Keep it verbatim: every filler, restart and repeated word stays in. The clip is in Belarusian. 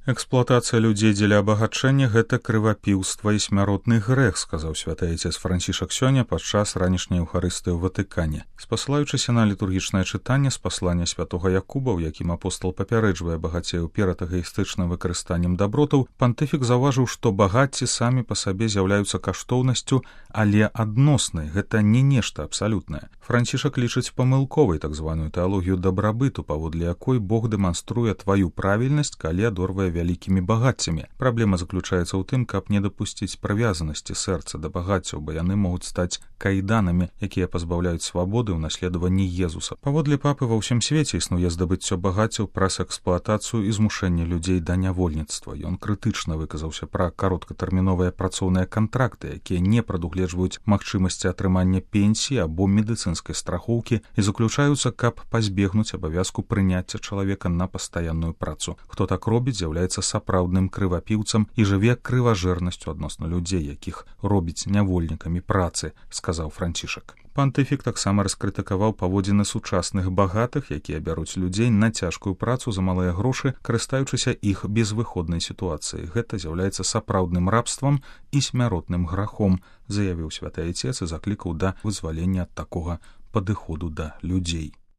Эксплуатацыя людзей дзеля абагачэння — гэта крывапіўства і смяротны грэх, сказаў святы айцец Францішак сёння падчас ранішняй еўхарыстыі ў Ватыкане. Спасылаючыся на літургічнае чытанне з паслання святога Якуба, у якім апостол папярэджвае багацеяў перад эгаістычным выкарыстаннем дабротаў, пантыфік заўважыў, што багацці самі па сабе з'яўляюцца каштоўнасцю, але адноснай, гэта не нешта абсалютнае. Францішак лічыць памылковай так званую тэалогію дабрабыту, паводле якой Бог дэманструе тваю правільнасць, калі адорвае вялікімі багаццямі. Праблема заключаецца ў тым, каб не дапусціць прывязанасці сэрца да багаццяў, бо яны могуць стаць кайданамі, якія пазбаўляюць свабоды ў наследаванні Езуса. Паводле папы ва ўсім свеце існуе здабыццё багаццяў праз эксплуатацыю і змушэнне людзей да нявольніцтва. Ён крытычна выказаўся пра кароткатэрміновыя працоўныя кантракты, якія не прадугледжваюць магчымасці атрымання пенсіі або медыцынскай страхоўкі і заключаюцца, каб пазбегнуць абавязку прыняцця чалавека на пастаянную працу. Хто так робіць, з'яўляецца сапраўдным крывапіўцам і жыве крыважэрнасцю адносна людзей, якіх робіць нявольнікамі працы, сказаў Францішак. Пантыфік таксама раскрытыкаваў паводзіны сучасных багатых, якія бяруць людзей на цяжкую працу за малыя грошы, карыстаючыся іх безвыходнай сітуацыяй. Гэта з'яўляецца сапраўдным рабствам і смяротным грахом, заявіў святы айцец і заклікаў да вызвалення ад такога падыходу да людзей.